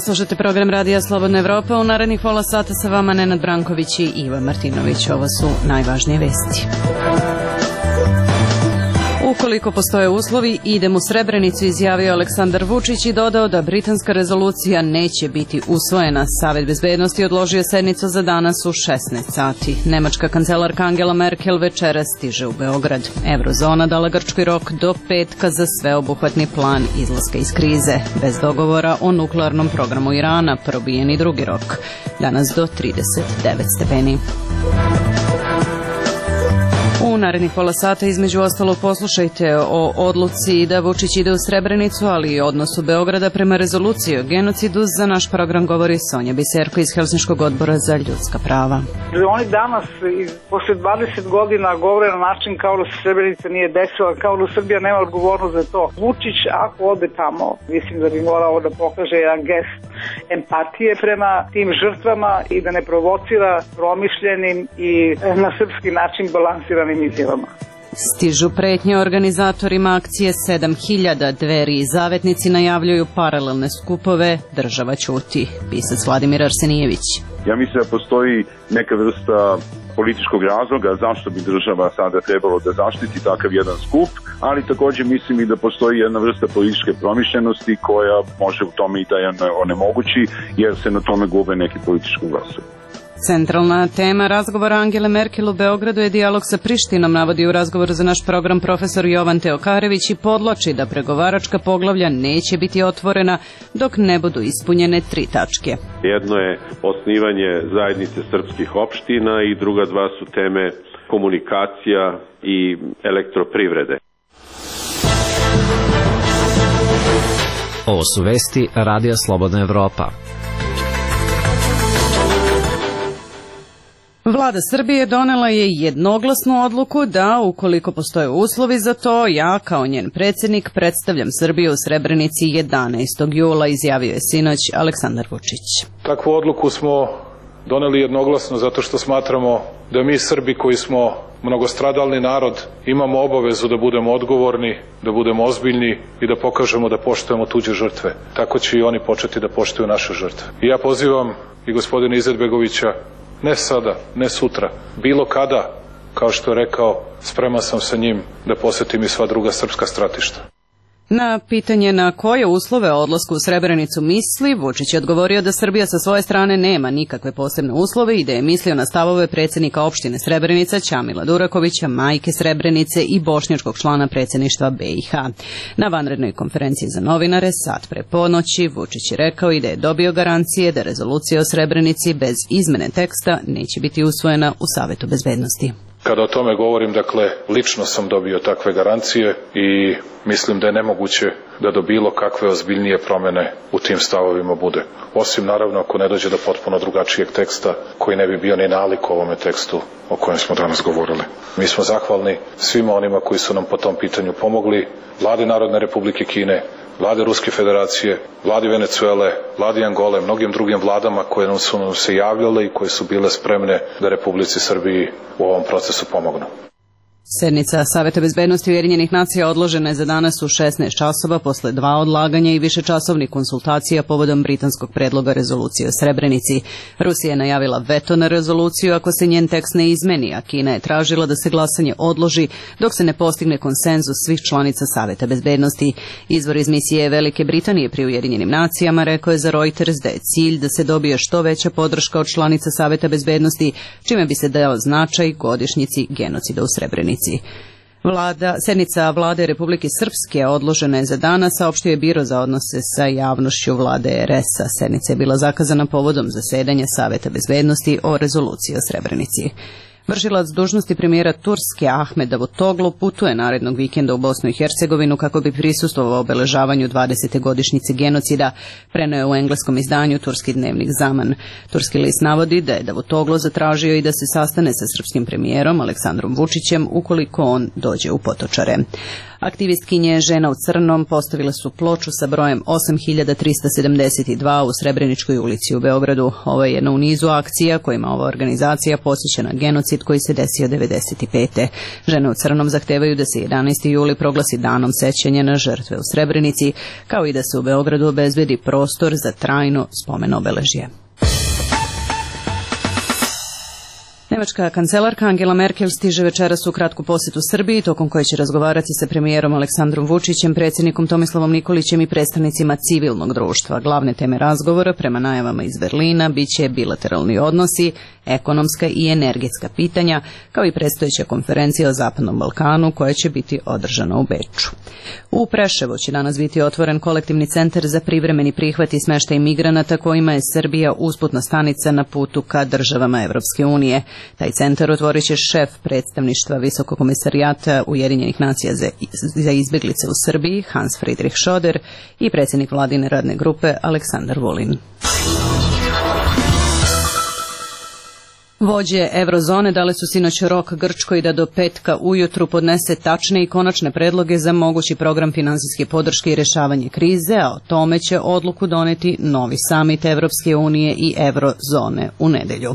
slušate program Radija Slobodna Evropa. U narednih pola sata sa vama Nenad Branković i Iva Martinović. Ovo su najvažnije vesti. Ukoliko postoje uslovi, idem u Srebrenicu, izjavio Aleksandar Vučić i dodao da britanska rezolucija neće biti usvojena. Savet bezbednosti odložio sednicu za danas u 16 sati. Nemačka kancelarka Angela Merkel večeras stiže u Beograd. Eurozona dala Grčkoj rok do petka za sveobuhvatni plan izlaska iz krize. Bez dogovora o nuklearnom programu Irana probijen i drugi rok. Danas do 39 stepeni. U narednih pola sata između ostalo poslušajte o odluci da Vučić ide u Srebrenicu, ali i odnosu Beograda prema rezoluciji o genocidu. Za naš program govori Sonja Biserko iz Helsinškog odbora za ljudska prava. Oni danas, posle 20 godina, govore na način kao da se Srebrenica nije desila, kao da Srbija nema odgovornost za to. Vučić, ako ode tamo, mislim da bi morao da pokaže jedan gest empatije prema tim žrtvama i da ne provocira promišljenim i na srpski način balansiranim izjavama. Stižu pretnje organizatorima akcije 7000, Dveri i Zavetnici najavljuju paralelne skupove, država ćuti. Pisac Vladimir Arsenijević. Ja mislim da postoji neka vrsta političkog razloga zašto bi država sada trebalo da zaštiti takav jedan skup, ali također mislim i da postoji jedna vrsta političke promišljenosti koja može u tome i da je onemogući, jer se na tome gube neki politički glasovi. Centralna tema razgovora Angele Merkel u Beogradu je dijalog sa Prištinom, navodi u razgovoru za naš program profesor Jovan Teokarević i podvlači da pregovaračka poglavlja neće biti otvorena dok ne budu ispunjene 3 tačke. Jedno je osnivanje zajednice srpskih opština i druga dva su teme komunikacija i elektroprivrede. Ovo su vesti Radija Slobodna Evropa. Vlada Srbije donela je jednoglasnu odluku da, ukoliko postoje uslovi za to, ja kao njen predsjednik predstavljam Srbiju u Srebrenici 11. jula, izjavio je sinoć Aleksandar Vučić. Takvu odluku smo doneli jednoglasno zato što smatramo da mi Srbi koji smo mnogostradalni narod imamo obavezu da budemo odgovorni, da budemo ozbiljni i da pokažemo da poštujemo tuđe žrtve. Tako će i oni početi da poštuju naše žrtve. I ja pozivam i gospodina Izetbegovića, ne sada, ne sutra, bilo kada, kao što je rekao, spreman sam sa njim da posetim i sva druga srpska stratišta. Na pitanje na koje uslove o odlasku u Srebrenicu misli, Vučić je odgovorio da Srbija sa svoje strane nema nikakve posebne uslove i da je mislio na stavove predsjednika opštine Srebrenica Ćamila Durakovića, majke Srebrenice i bošnjačkog člana predsjedništva BiH. Na vanrednoj konferenciji za novinare sat pre ponoći Vučić je rekao i da je dobio garancije da rezolucija o Srebrenici bez izmene teksta neće biti usvojena u Savetu bezbednosti. Kada o tome govorim, dakle, lično sam dobio takve garancije i mislim da je nemoguće da do bilo kakve ozbiljnije promene u tim stavovima bude. Osim, naravno, ako ne dođe do potpuno drugačijeg teksta koji ne bi bio ni nalik ovome tekstu o kojem smo danas govorili. Mi smo zahvalni svima onima koji su nam po tom pitanju pomogli, Vladi Narodne Republike Kine, Vlade Ruske Federacije, Vladi Venecuele, Vladi Angole, mnogim drugim vladama koje su nam se javljale i koje su bile spremne da Republici Srbiji u ovom procesu pomognu. Sednica Saveta bezbednosti Ujedinjenih nacija odložena je za danas u 16 časova posle 2 odlaganja i višečasovnih konsultacija povodom britanskog predloga rezolucije o Srebrenici. Rusija je najavila veto na rezoluciju ako se njen tekst ne izmeni, a Kina je tražila da se glasanje odloži dok se ne postigne konsenzus svih članica Saveta bezbednosti. Izvor iz misije Velike Britanije pri Ujedinjenim nacijama rekao je za Reuters da je cilj da se dobije što veća podrška od članica Saveta bezbednosti, čime bi se dao značaj godišnjici genocida u Srebrenici. Sednica Vlade Republike Srpske odložena je za danas, saopštio je Biro za odnose sa javnošću Vlade RS-a. Sednica je bila zakazana povodom zasedanja Saveta bezbednosti o rezoluciji o Srebrenici. Vršilac dužnosti premijera Turske Ahmed Davutoglu putuje narednog vikenda u Bosnu i Hercegovinu kako bi prisustvovao obeležavanju 20. godišnjice genocida, preneo je u engleskom izdanju turski dnevnik Zaman. Turski list navodi da je Davutoglu zatražio i da se sastane sa srpskim premijerom Aleksandrom Vučićem ukoliko on dođe u Potočare. Aktivistkinje Žena u crnom postavile su ploču sa brojem 8372 u Srebreničkoj ulici u Beogradu. Ovo je jedna u nizu akcija kojima ova organizacija podsjeća na genocid koji se desio 1995. Žene u crnom zahtevaju da se 11. juli proglasi danom sećanja na žrtve u Srebrenici, kao i da se u Beogradu obezbedi prostor za trajno spomen obeležje. Nemačka kancelarka Angela Merkel stiže večeras u kratku posjetu Srbiji, tokom koje će razgovarati sa premijerom Aleksandrom Vučićem, predsjednikom Tomislavom Nikolićem i predstavnicima civilnog društva. Glavne teme razgovora, prema najavama iz Berlina, biće bilateralni odnosi, ekonomska i energetska pitanja, kao i predstojeća konferencija o Zapadnom Balkanu, koja će biti održana u Beču. U Preševu će danas biti otvoren kolektivni centar za privremeni prihvat i smještaj migranata, kojima je Srbija usputna stanica na putu ka državama Evropske unije. Taj centar otvorit će šef predstavništva Visokog komesarijata Ujedinjenih nacija za izbjeglice u Srbiji, Hans Friedrich Schoder, i predsjednik vladine radne grupe Aleksandar Vulin. Vođe Eurozone dale su sinoć rok Grčkoj da do petka ujutru podnese tačne i konačne predloge za mogući program finansijske podrške i rješavanje krize, a o tome će odluku doneti novi samit Evropske unije i Eurozone u nedelju.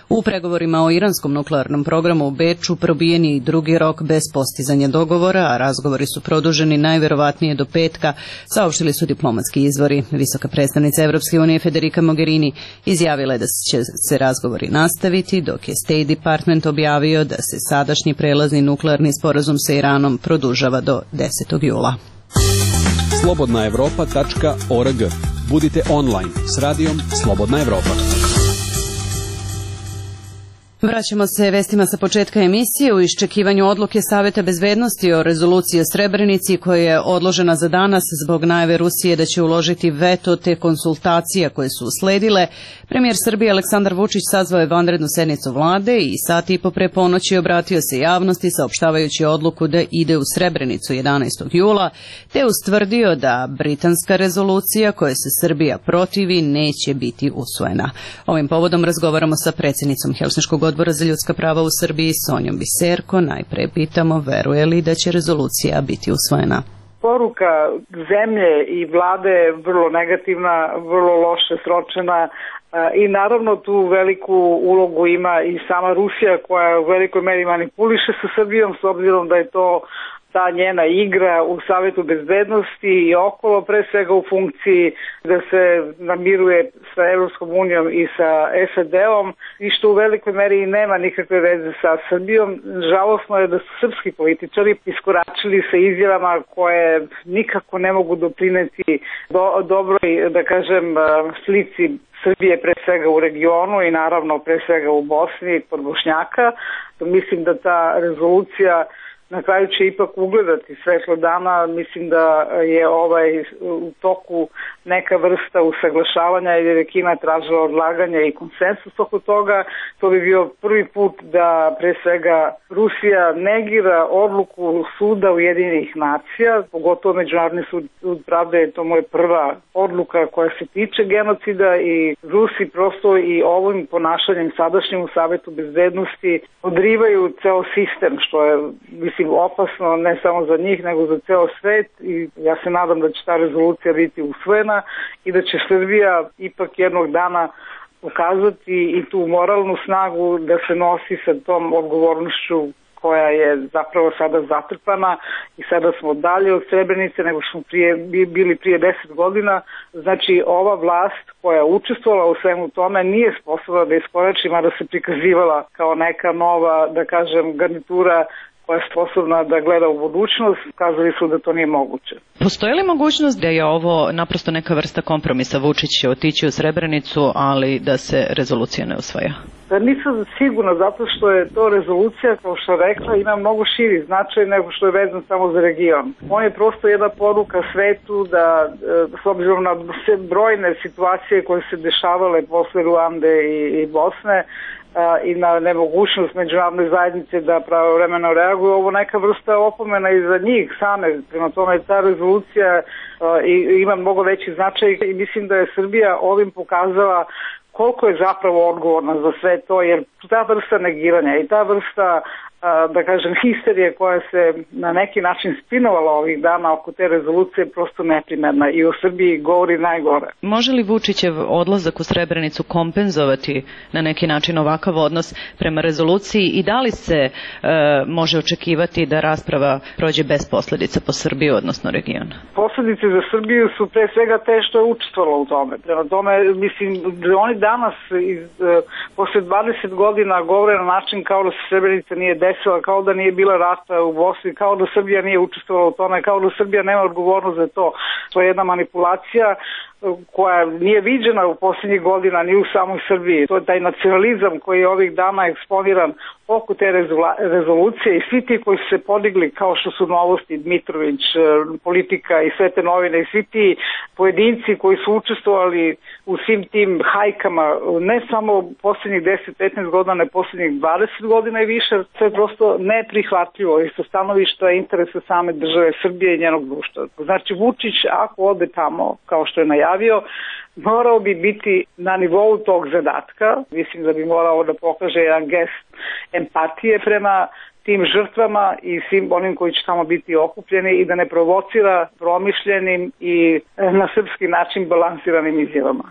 U pregovorima o iranskom nuklearnom programu u Beču probijen je i drugi rok bez postizanja dogovora, a razgovori su produženi najvjerovatnije do petka, saopštili su diplomatski izvori. Visoka predstavnica Evropske unije Federica Mogherini izjavila je da će se razgovori nastaviti, dok je State Department objavio da se sadašnji prelazni nuklearni sporazum sa Iranom produžava do 10. jula. slobodnaevropa.org. Budite online s radijom Slobodna Evropa. Vraćamo se vestima sa početka emisije. U iščekivanju odluke Saveta bezbednosti o rezoluciji o Srebrenici, koja je odložena za danas zbog najave Rusije da će uložiti veto te konsultacija koje su usledile, premijer Srbije Aleksandar Vučić sazvao je vanrednu sednicu vlade i sat i po pre ponoći obratio se javnosti saopštavajući odluku da ide u Srebrenicu 11. jula, te ustvrdio da britanska rezolucija koje se Srbija protivi neće biti usvojena. Ovim povodom razgovaramo sa predsjednicom Helsinškog odbora za ljudska prava u Srbiji, Sonjom Biserko. Najpre pitamo, veruje li da će rezolucija biti usvojena? Poruka zemlje i vlade je vrlo negativna, vrlo loše sročena i naravno tu veliku ulogu ima i sama Rusija, koja u velikoj meri manipuliše sa Srbijom, s obzirom da je to ta njena igra u Savetu bezbednosti i okolo, pre svega u funkciji da se namiruje sa Evropskom unijom i sa SAD-om, i što u velikoj meri nema nikakve veze sa Srbijom. Žalosno je da su srpski političari iskoračili sa izjavama koje nikako ne mogu doprineti dobroj, da kažem, slici Srbije pre svega u regionu i naravno pre svega u Bosni kod Bošnjaka. Mislim da ta rezolucija na kraju će ipak ugledati svetlo dana. Mislim da je u toku neka vrsta usaglašavanja, jer je Kina tražila odlaganje i konsensus oko toga. To bi bio prvi put da pre svega Rusija negira odluku suda Ujedinjenih nacija, pogotovo Međunarodni sud pravde je to moja prva odluka koja se tiče genocida, i Rusi prosto i ovim ponašanjem sadašnjim u Savetu bezbednosti odrivaju ceo sistem, što je, mislim, opasno ne samo za njih nego za ceo svet, i ja se nadam da će ta rezolucija biti usvojena i da će Srbija ipak jednog dana pokazati i tu moralnu snagu da se nosi sa tom odgovornošću koja je zapravo sada zatrpana, i sada smo dalje od Srebrenice nego što smo bili prije 10 godina. Znači, ova vlast koja je učestvovala u svemu tome nije sposobna da iskorači, mada se prikazivala kao neka nova, da kažem, garnitura koja je sposobna da gleda u budućnost. Kazali su da to nije moguće. Postoji li mogućnost da je ovo naprosto neka vrsta kompromisa? Vučić će otići u Srebrenicu, ali da se rezolucija ne usvaja? Nisam sigurna, zato što je to rezolucija, kao što rekla, ima mnogo širi značaj nego što je vezan samo za region. On je prosto jedna poruka svetu da, s obzirom na brojne situacije koje se dešavale posle Ruande i Bosne, i na nemogućnost međunarodne zajednice da pravovremeno reaguje, ovo neka vrsta opomena i za njih same. Prema tome, ta rezolucija ima mnogo veći značaj i mislim da je Srbija ovim pokazala koliko je zapravo odgovorna za sve to, jer ta vrsta negiranja i ta vrsta da kažem, histerije koja se na neki način spinovala ovih dana oko te rezolucije prosto neprimerna i o Srbiji govori najgore. Može li Vučićev odlazak u Srebrenicu kompenzovati na neki način ovakav odnos prema rezoluciji i da li se može očekivati da rasprava prođe bez posledica po Srbiju, odnosno region? Posledice za Srbiju su pre svega te što je učestvovalo u tome. Prema tome, mislim, oni danas posle 20 godina govore na način kao da se Srebrenica nije desila, kao da nije bila rata u Bosni, kao da Srbija nije učestvovala u tome, kao da Srbija nema odgovornost za to. To je jedna manipulacija koja nije viđena u posljednjih godina ni u samoj Srbiji. To je taj nacionalizam koji je ovih dana eksponiran oko te rezolucije i svi ti koji su se podigli kao što su Novosti, Dmitrović, Politika i sve te novine i svi ti pojedinci koji su učestvovali u svim tim hajkama, ne samo posljednjih 10-15 godina, ne posljednjih 20 godina i više, to je prosto neprihvatljivo i sa stanovišta interesa same države Srbije i njenog društva. Znači Vučić ako ode tamo, kao što je najavio, morao bi biti na nivou tog zadatka. Mislim da bi morao da pokaže jedan gest empatije prema tim žrtvama i svim onim koji će tamo biti okupljeni i da ne provocira promišljenim i na srpski način balansiranim izjavama.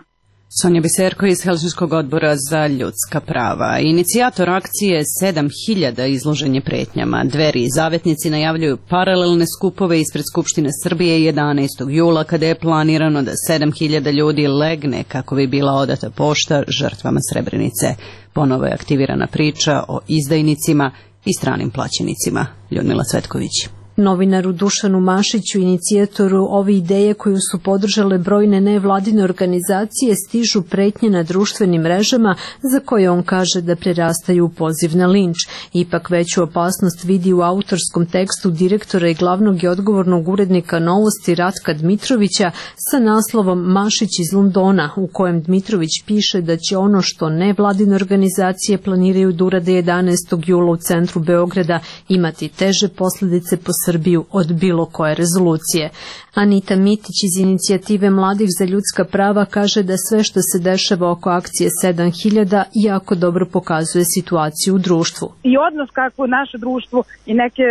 Sonja Biserko iz Helsinškog odbora za ljudska prava. Inicijator akcije 7000 izložen je pretnjama. Dveri i zavetnici najavljuju paralelne skupove ispred Skupštine Srbije 11. jula kada je planirano da 7000 ljudi legne kako bi bila odata pošta žrtvama Srebrenice. Ponovo je aktivirana priča o izdajnicima i stranim plaćenicima. Ljudmila Cvetković. Novinaru Dušanu Mašiću, inicijatoru ove ideje koju su podržale brojne nevladine organizacije, stižu pretnje na društvenim mrežama za koje on kaže da prerastaju u poziv na linč. Ipak veću opasnost vidi u autorskom tekstu direktora i glavnog i odgovornog urednika Novosti Ratka Dmitrovića sa naslovom Mašić iz Londona, u kojem Dmitrović piše da će ono što nevladine organizacije planiraju da urade 11. jula u centru Beograda imati teže posljedice po Srbiju od bilo koje rezolucije. Anita Mitić iz Inicijative mladih za ljudska prava kaže da sve što se dešava oko akcije 7000 jako dobro pokazuje situaciju u društvu. I odnos kako naše društvo i neke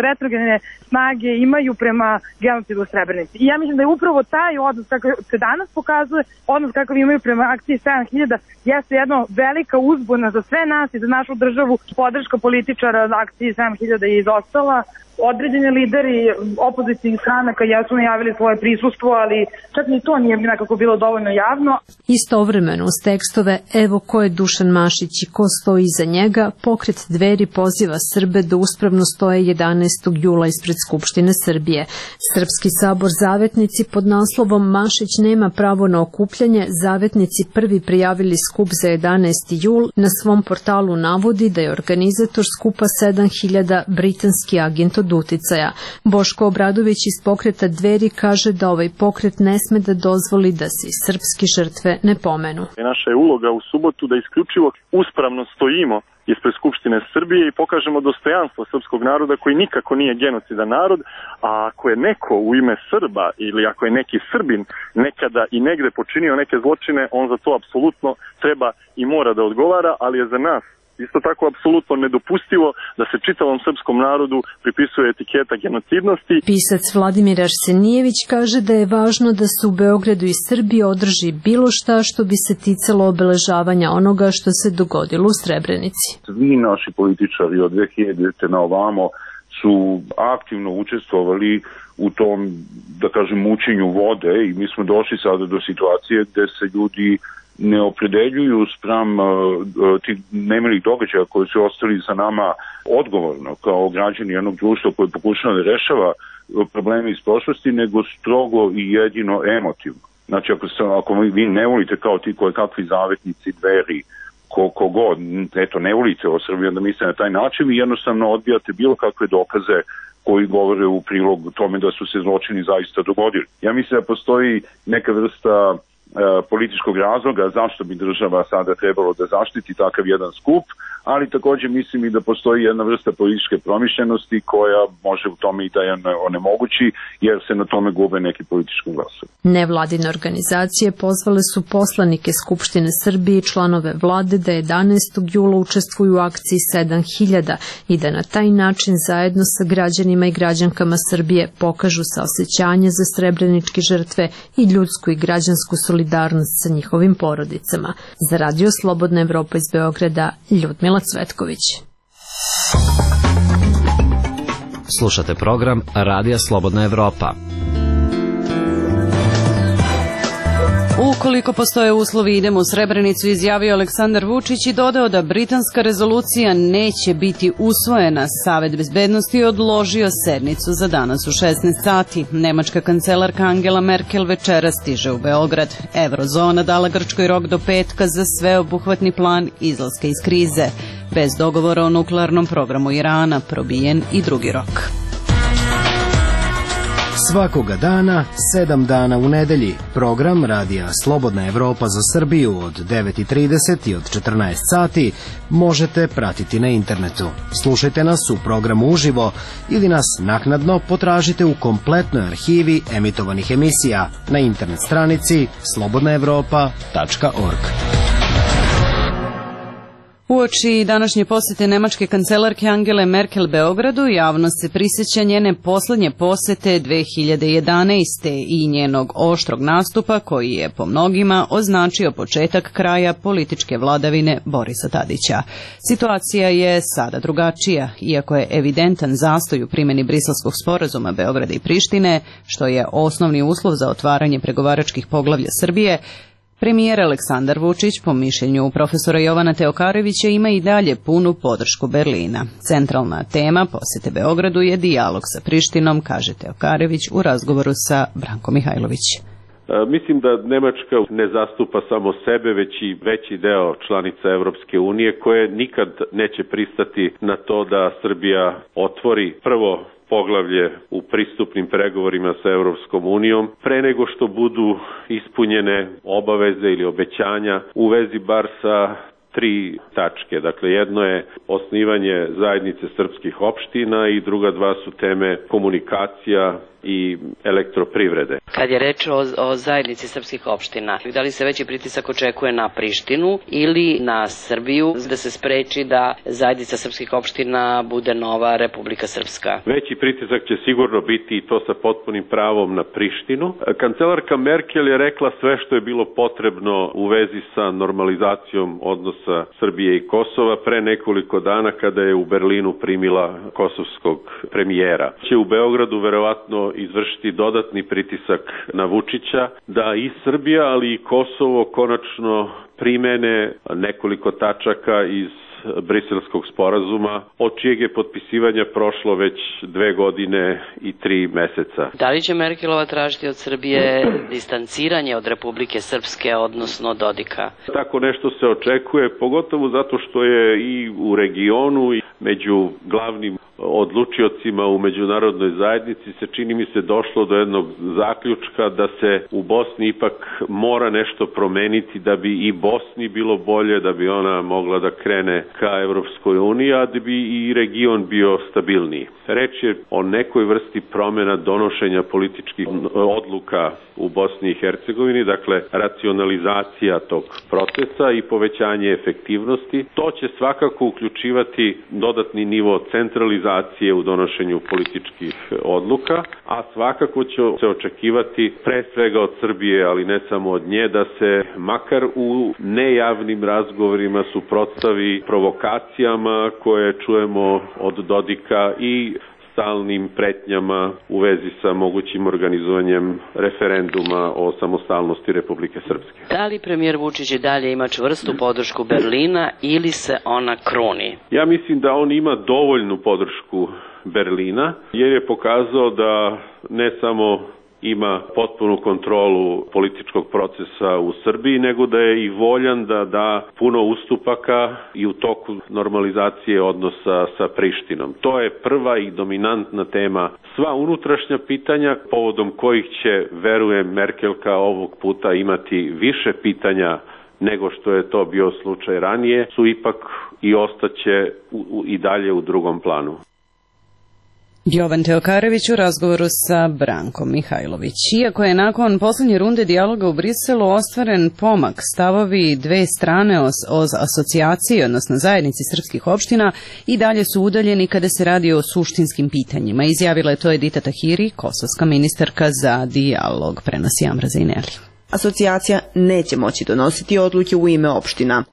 retrogene snage imaju prema genocidu u Srebrenici. I ja mislim da je upravo taj odnos kako se danas pokazuje, odnos kakav imaju prema akciji 7000 jeste jedna velika uzbuna za sve nas i za našu državu. Podrška političara akciji 7000 je izostala. Određeni lideri opozicijnih stranaka jesu najavili svoje prisustvo, ali čak ni to nije nekako bilo dovoljno javno. Istovremeno uz tekstove Evo ko je Dušan Mašić i ko stoji iza njega, pokret Dveri poziva Srbe da uspravno stoje 11. jula ispred Skupštine Srbije. Srpski sabor Zavetnici pod naslovom Mašić nema pravo na okupljanje, Zavetnici prvi prijavili skup za 11. jul, na svom portalu navodi da je organizator skupa 7000 britanski agent od uticaja. Boško Obradović iz pokreta Dveri kaže da ovaj pokret ne sme da dozvoli da se srpski žrtve ne pomenu. Naša je uloga u subotu da isključivo uspravno stojimo ispred Skupštine Srbije i pokažemo dostojanstvo srpskog naroda koji nikako nije genocidan narod, a ako je neko u ime Srba ili ako je neki Srbin nekada i negde počinio neke zločine, on za to apsolutno treba i mora da odgovara, ali je za nas isto tako apsolutno nedopustivo da se čitavom srpskom narodu pripisuje etiketa genocidnosti. Pisac Vladimir Arsenijević kaže da je važno da se u Beogradu i Srbiji održi bilo šta što bi se ticalo obeležavanja onoga što se dogodilo u Srebrenici. Svi naši političari od 2000. na ovamo su aktivno učestvovali u tom, da kažem, mučenju vode i mi smo došli sada do situacije gde se ljudi ne opredeljuju spram tih nemilih događaja koji su ostali za nama odgovorno kao građani jednog društva koji pokušava da rešava probleme iz prošlosti, nego strogo i jedino emotivno. Znači ako vi ne volite kao ti koje kakvi zavetnici, Dveri, kogod, eto ne volite o Srbiji, onda mislite na taj način i jednostavno odbijate bilo kakve dokaze koji govore u prilog tome da su se zločini zaista dogodili. Ja mislim da postoji neka vrsta političkog razloga zašto bi država sada trebalo da zaštiti takav jedan skup, ali takođe mislim i da postoji jedna vrsta političke promišljenosti koja može u tome i da je onemogući, jer se na tome gube neki politički glasovi. Nevladine organizacije pozvale su poslanike Skupštine Srbije i članove vlade da 11. jula učestvuju u akciji 7000 i da na taj način zajedno sa građanima i građankama Srbije pokažu saosećanje za srebreničke žrtve i ljudsku i građansku solidarnost sa njihovim porodicama. Za Radio Slobodna Evropa iz Beograda, Ljudmila Cvetković. Slušate program Radija Slobodna Evropa. Ukoliko postoje uslovi, idemo u Srebrenicu, izjavio Aleksandar Vučić i dodao da britanska rezolucija neće biti usvojena. Savet bezbednosti odložio sednicu za danas u 16 sati. Nemačka kancelarka Angela Merkel večera stiže u Beograd. Eurozona dala Grčkoj rok do petka za sveobuhvatni plan izlaska iz krize. Bez dogovora o nuklearnom programu Irana probijen i drugi rok. Svakoga dana, 7 dana u nedelji, program Radija Slobodna Evropa za Srbiju od 9:30 i od 14 sati možete pratiti na internetu. Slušajte nas u programu uživo ili nas naknadno potražite u kompletnoj arhivi emitovanih emisija na internet stranici slobodnaevropa.org. Uoči današnje posete nemačke kancelarke Angele Merkel Beogradu, javnost se prisjeća njene poslednje posete 2011. i njenog oštrog nastupa koji je po mnogima označio početak kraja političke vladavine Borisa Tadića. Situacija je sada drugačija, iako je evidentan zastoj u primjeni Briselskog sporazuma Beograda i Prištine, što je osnovni uslov za otvaranje pregovaračkih poglavlja Srbije. Premijer Aleksandar Vučić, po mišljenju profesora Jovana Teokarevića, ima i dalje punu podršku Berlina. Centralna tema posete Beogradu je dijalog sa Prištinom, kaže Teokarević u razgovoru sa Brankom Mihajlović. Mislim da Nemačka ne zastupa samo sebe, već i veći deo članica Evropske unije koje nikad neće pristati na to da Srbija otvori prvo poglavlje u pristupnim pregovorima sa Evropskom unijom, pre nego što budu ispunjene obaveze ili obećanja u vezi bar sa 3 tačke. Dakle, jedno je osnivanje zajednice srpskih opština i druga 2 su teme komunikacija i elektroprivrede. Kad je reč o zajednici srpskih opština, da li se veći pritisak očekuje na Prištinu ili na Srbiju da se spreči da zajednica srpskih opština bude nova Republika Srpska? Veći pritisak će sigurno biti i to sa potpunim pravom na Prištinu. Kancelarka Merkel je rekla sve što je bilo potrebno u vezi sa normalizacijom odnosa Srbije i Kosova pre nekoliko dana kada je u Berlinu primila kosovskog premijera. Će u Beogradu verovatno izvršiti dodatni pritisak na Vučića da i Srbija, ali i Kosovo konačno primene nekoliko tačaka iz Briselskog sporazuma, od čijeg je potpisivanja prošlo već 2 godine i 3 meseca. Da li će Merkelova tražiti od Srbije distanciranje od Republike Srpske, odnosno Dodika? Tako nešto se očekuje, pogotovo zato što je i u regionu i među glavnim odlučiocima u međunarodnoj zajednici se, čini mi se, došlo do jednog zaključka da se u Bosni ipak mora nešto promeniti da bi i Bosni bilo bolje, da bi ona mogla da krene ka Evropskoj uniji, a da bi i region bio stabilniji. Reč je o nekoj vrsti promjena donošenja političkih odluka u Bosni i Hercegovini, dakle racionalizacija tog procesa i povećanje efektivnosti. To će svakako uključivati dodatni nivo centralizacije u donošenju političkih odluka, a svakako će se očekivati pre svega od Srbije, ali ne samo od nje, da se makar u nejavnim razgovorima suprotstavi provokacijama koje čujemo od Dodika i stalnim pretnjama u vezi sa mogućim organizovanjem referenduma o samostalnosti Republike Srpske. Da li premijer Vučić i dalje ima čvrstu podršku Berlina ili se ona kruni? Ja mislim da on ima dovoljnu podršku Berlina, jer je pokazao da ne samo ima potpunu kontrolu političkog procesa u Srbiji, nego da je i voljan da da puno ustupaka i u toku normalizacije odnosa sa Prištinom. To je prva i dominantna tema. Sva unutrašnja pitanja, povodom kojih će, verujem, Merkelka ovog puta imati više pitanja nego što je to bio slučaj ranije, su ipak i ostaće i dalje u drugom planu. Jovan Teokarević u razgovoru sa Brankom Mihajlović. Iako je nakon posljednje runde dijaloga u Briselu ostvaren pomak, stavovi dve strane o asocijaciji, odnosno zajednici srpskih opština, i dalje su udaljeni kada se radi o suštinskim pitanjima. Izjavila je to Edita Tahiri, kosovska ministarka za dijalog, prenosi Amra Zaineli. Asocijacija neće moći donositi odluke u ime opština.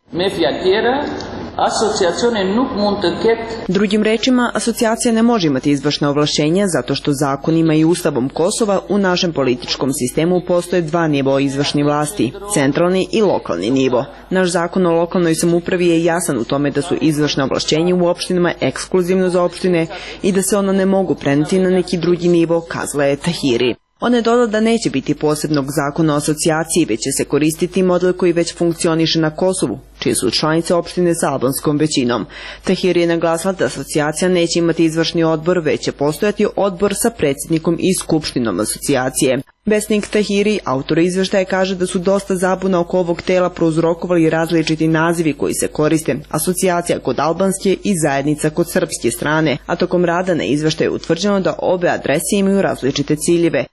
Drugim rečima, asocijacija ne može imati izvršna ovlašćenja zato što zakonima i ustavom Kosova u našem političkom sistemu postoje dva nivoa izvršne vlasti, centralni i lokalni nivo. Naš zakon o lokalnoj samoupravi je jasan u tome da su izvršna ovlašćenja u opštinama ekskluzivno za opštine i da se ono ne mogu preneti na neki drugi nivo, kazala je Tahiri. Ona je dodala da neće biti posebnog zakona o asocijaciji, već će se koristiti model koji već funkcioniše na Kosovu, čije su članice opštine sa albanskom većinom. Tahiri je naglasila da asocijacija neće imati izvršni odbor, već će postojati odbor sa predsjednikom i skupštinom asocijacije. Vesnik Tahiri, autor izveštaja, kaže da su dosta zabuna oko ovog tela prouzrokovali različiti nazivi koji se koriste, asocijacija kod albanske i zajednica kod srpske strane, a tokom rada na izveštaju je utvrđeno da obe adrese imaju različite ciljeve.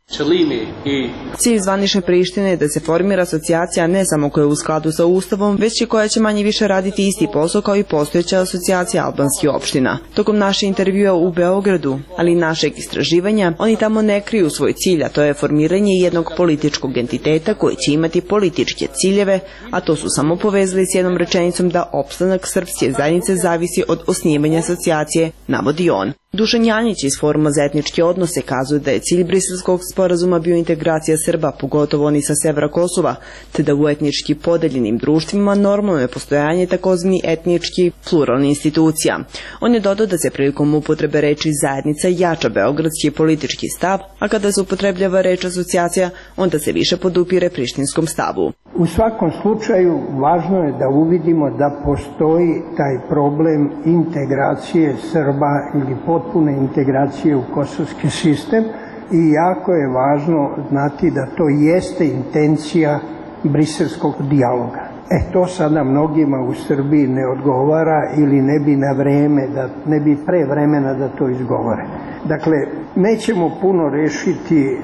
Cilj zvanične Prištine je da se formira asocijacija ne samo koja je u skladu sa Ustavom, već i koja će manje više raditi isti posao kao i postojeća asocijacija albanskih opština. Tokom naše intervjua u Beogradu, ali i našeg istraživanja, oni tamo ne kriju svoj cilj, a to je formiranje jednog političkog entiteta koji će imati političke ciljeve, a to su samo povezali s jednom rečenicom da opstanak srpske zajednice zavisi od osnivanja asocijacije, navodi on. Dušan Janjić iz Foruma za etničke odnose kazuje da je cilj Briselskog sporazuma bio integracija Srba, pogotovo oni sa severa Kosova, te da u etnički podeljenim društvima normalno je postojanje takozvani etnički pluralni institucija. On je dodao da se prilikom upotrebe reči zajednica jača beogradski politički stav, a kada se upotrebljava reč asocijacija, onda se više podupire prištinskom stavu. U svakom slučaju važno je da uvidimo da postoji taj problem integracije Srba ili potpune integracije u kosovski sistem i jako je važno znati da to jeste intencija briselskog dijaloga. To sada mnogima u Srbiji ne odgovara ili ne bi na vreme, ne bi pre vremena da to izgovore. Dakle, nećemo puno rešiti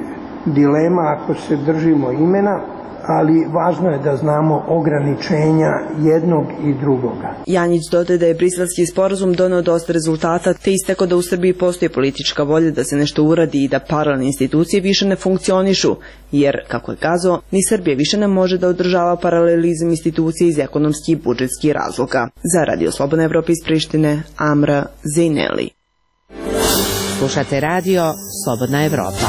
dilema ako se držimo imena, ali važno je da znamo ograničenja jednog i drugoga. Janjić dodaje da je briselski sporazum doneo dosta rezultata, te istakao da u Srbiji postoji politička volja da se nešto uradi i da paralelne institucije više ne funkcionišu, jer, kako je kazao, ni Srbija više ne može da održava paralelizam institucije iz ekonomskih i budžetskih razloga. Za Radio Slobodna Evropa iz Prištine, Amra Zaineli. Slušate Radio Slobodna Evropa.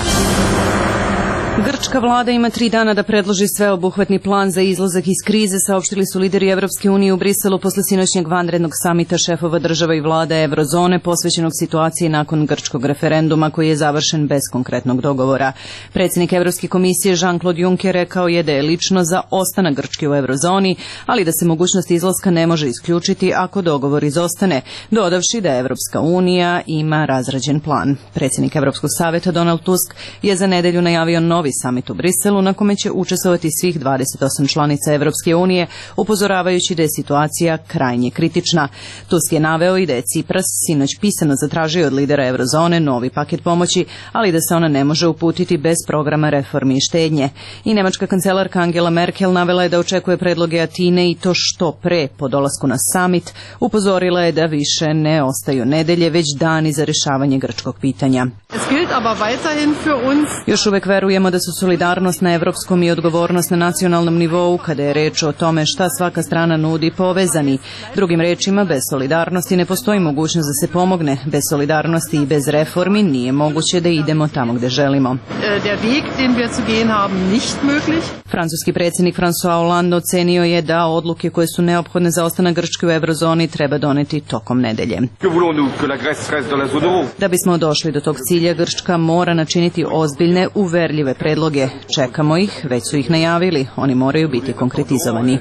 Grčka vlada ima 3 dana da predloži sveobuhvatni plan za izlazak iz krize, saopštili su lideri Evropske unije u Briselu posle sinoćnjeg vanrednog samita šefova država i vlada Evrozone posvećenog situaciji nakon grčkog referenduma koji je završen bez konkretnog dogovora. Predsjednik Evropske komisije Jean-Claude Juncker rekao je da je lično za ostanak Grčke u Evrozoni, ali da se mogućnost izlaska ne može isključiti ako dogovor izostane, dodavši da Evropska unija ima razrađen plan. Predsjednik Evropskog saveta Donald Tusk je za nedelju najavio novi samit u Briselu na kome će učestvovati svih 28 članica Evropske unije, upozoravajući da je situacija krajnje kritična. Tusk je naveo i da je Cipras sinoć pisano zatražio od lidera Evrozone novi paket pomoći, ali da se ona ne može uputiti bez programa reformi i štednje. I nemačka kancelarka Angela Merkel navela je da očekuje predloge Atine i to što pre po dolasku na samit. Upozorila je da više ne ostaju nedelje, već dani za rješavanje grčkog pitanja. Još uvek verujemo da su solidarnost na evropskom i odgovornost na nacionalnom nivou, kada je reč o tome šta svaka strana nudi, povezani. Drugim rečima, bez solidarnosti ne postoji mogućnost da se pomogne. Bez solidarnosti i bez reformi nije moguće da idemo tamo gde želimo. Francuski predsjednik François Hollande ocenio je da odluke koje su neophodne za ostanak Grčke u Evrozoni treba doneti tokom nedelje. Da bismo došli do tog cilja, cilja Grčka mora načiniti ozbiljne, uverljive predloge. Čekamo ih, već su ih najavili, oni moraju biti konkretizovani.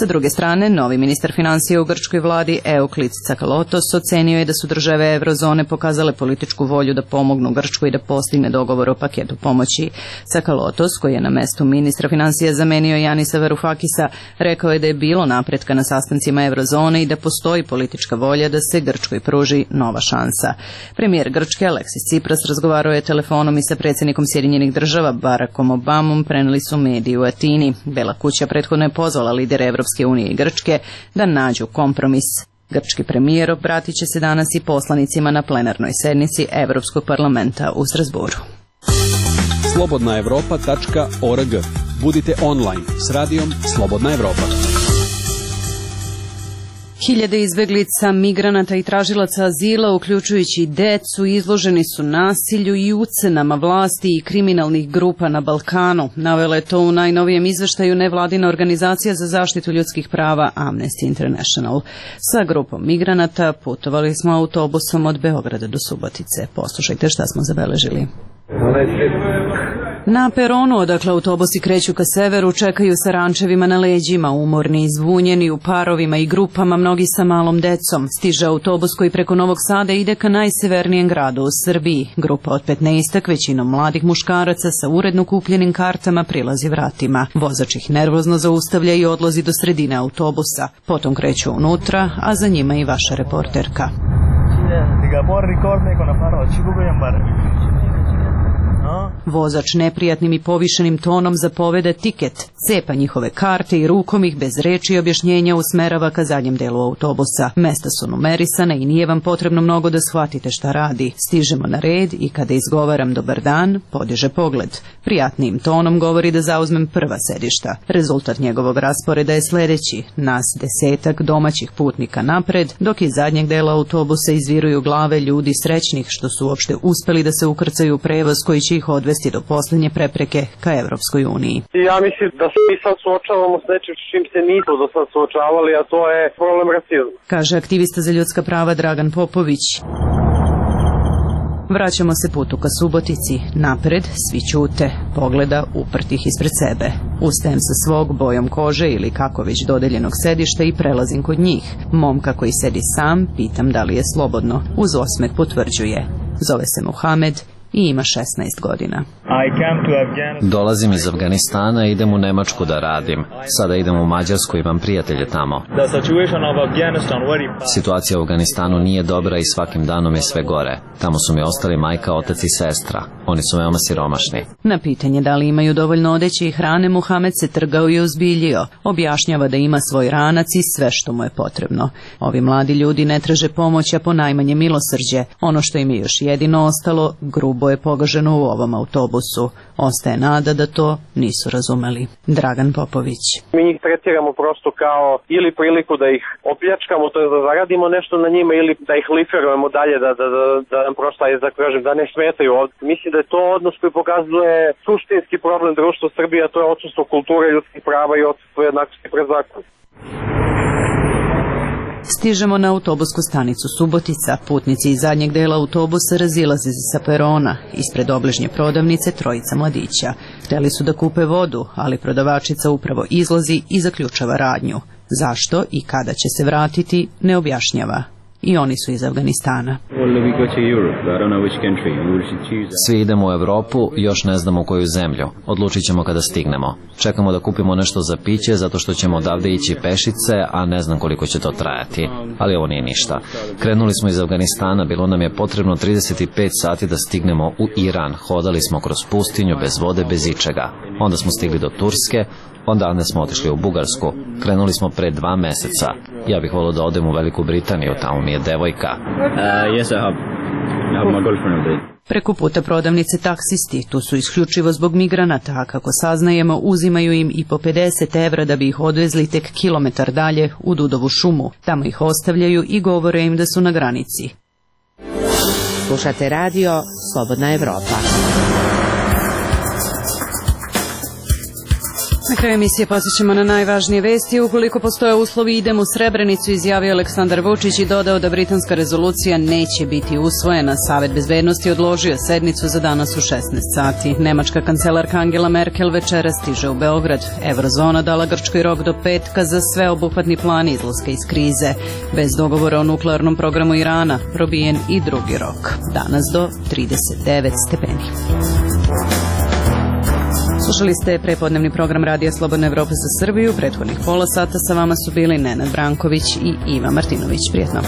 Sa druge strane, novi ministar financija u grčkoj vladi Euklids Tsakalotos ocenio je da su države eurozone pokazale političku volju da pomognu Grčkoj i da postigne dogovor o paketu pomoći. Tsakalotos, koji je na mestu ministra financija zamenio Janisa Varoufakisa, rekao je da je bilo napretka na sastancima eurozone i da postoji politička volja da se Grčkoj pruži nova šansa. Premijer Grčke Aleksis Tsipras razgovarao je telefonom i sa predsjednikom Sjedinjenih država Barackom Obamom, preneli su mediji u Atini. Bela kuća prethodno je pozvala lidere Evropske unije i Grčke da nađu kompromis. Grčki premijer obratit će se danas i poslanicima na plenarnoj sednici Evropskog parlamenta u Strasburu. slobodnaevropa.org. Budite online s radijom Slobodna Evropa. Hiljade izbeglica, migranata i tražilaca azila, uključujući i decu, izloženi su nasilju i ucenama vlasti i kriminalnih grupa na Balkanu. Navela je to u najnovijem izveštaju nevladina organizacija za zaštitu ljudskih prava Amnesty International. Sa grupom migranata putovali smo autobusom od Beograda do Subotice. Poslušajte šta smo zabeležili. Na peronu, odakle autobusi kreću ka severu, čekaju sa rančevima na leđima, umorni i zbunjeni, u parovima i grupama, mnogi sa malom decom. Stiže autobus koji preko Novog Sada ide ka najsevernijem gradu u Srbiji. Grupa od 15, većinom mladih muškaraca sa uredno kupljenim kartama, prilazi vratima. Vozač ih nervozno zaustavlja i odlazi do sredine autobusa. Potom kreću unutra, a za njima i vaša reporterka. Vozač neprijatnim i povišenim tonom zapoveda tiket, cepa njihove karte i rukom ih bez reči i objašnjenja usmerava ka zadnjem delu autobusa. Mesta su numerisana i nije vam potrebno mnogo da shvatite šta radi. Stižemo na red i kada izgovaram dobar dan, podiže pogled. Prijatnim tonom govori da zauzmem prva sedišta. Rezultat njegovog rasporeda je sledeći. Nas 10 domaćih putnika napred, dok iz zadnjeg dela autobusa izviruju glave ljudi srećnih što su uopšte uspeli da se ukrcaju u prevoz koji će ih odvesti do posljednje prepreke ka Evropskoj uniji. Ja mislim da se mi sad suočavamo s nečim s čim se nismo do sad suočavali, a to je problem rasizma. Kaže aktivista za ljudska prava Dragan Popović. Vraćamo se putu ka Subotici. Napred svi ćute, pogleda uprtih ispred sebe. Ustajem sa svog bojom kože ili kako već dodeljenog sedišta i prelazim kod njih. Momka koji sedi sam, pitam da li je slobodno. Uz osmeh potvrđuje. Zove se Muhamed i ima 16 godina. Dolazim iz Afganistana i idem u Nemačku da radim. Sada idem u Mađarsku, imam prijatelje tamo. Situacija u Afganistanu nije dobra i svakim danom je sve gore. Tamo su mi ostali majka, otac i sestra. Oni su veoma siromašni. Na pitanje da li imaju dovoljno odeće i hrane, Muhamed se trgao i uzbiljio. Objašnjava da ima svoj ranac i sve što mu je potrebno. Ovi mladi ljudi ne traže pomoć, a ponajmanje milosrđe. Ono što im je još jedino ostalo, grubo je pogaženo u ovom autobusu. Ostaje nada da to nisu razumeli. Dragan Popović. Mi njih tretiramo prosto kao ili priliku da ih opljačkamo, to je da zaradimo nešto na njima, ili da ih liferujemo dalje, da nam prosto, da ne smetaju ovdje. Mislim da je to odnos koji pokazuje suštinski problem društva Srbije, a to je odsustvo kulture ljudskih prava i odsustvo jednakosti pred zakonom. Stižemo na autobusku stanicu Subotica. Putnici iz zadnjeg dela autobusa razilaze sa perona. Ispred obližnje prodavnice trojica mladića. Hteli su da kupe vodu, ali prodavačica upravo izlazi i zaključava radnju. Zašto i kada će se vratiti, ne objašnjava. I oni su iz Afganistana. Svi idemo u Evropu, još ne znamo u koju zemlju. Odlučit ćemo kada stignemo. Čekamo da kupimo nešto za piće, zato što ćemo odavde ići pešice, a ne znam koliko će to trajati. Ali ovo nije ništa. Krenuli smo iz Afganistana, bilo nam je potrebno 35 sati da stignemo u Iran. Hodali smo kroz pustinju, bez vode, bez ičega. Onda smo stigli do Turske, onda smo otišli u Bugarsku. Krenuli smo pre 2 meseca. Ja bih volio da odem u Veliku Britaniju, tamo mi je devojka. Yes, I have my girlfriend. Preko puta prodavnice taksisti, tu su isključivo zbog migranata, a kako saznajemo uzimaju im i po 50 evra da bi ih odvezli tek kilometar dalje u Dudovu šumu. Tamo ih ostavljaju i govore im da su na granici. Slušate radio Slobodna Evropa. Na kraju emisije posjećamo na najvažnije vesti. Ukoliko postoje uslovi, idemo u Srebrenicu, izjavio Aleksandar Vučić i dodao da britanska rezolucija neće biti usvojena. Savet bezbednosti odložio sednicu za danas u 16 sati. Nemačka kancelarka Angela Merkel večera stiže u Beograd. Eurozona dala Grčkoj rok do petka za sveobuhvatni plan izlaska iz krize. Bez dogovora o nuklearnom programu Irana probijen i drugi rok. Danas do 39 stepeni. Slušali ste prepodnevni program Radija Slobodna Evropa za Srbiju. Prethodnih pola sata sa vama su bili Nenad Branković i Iva Martinović. Prijetno.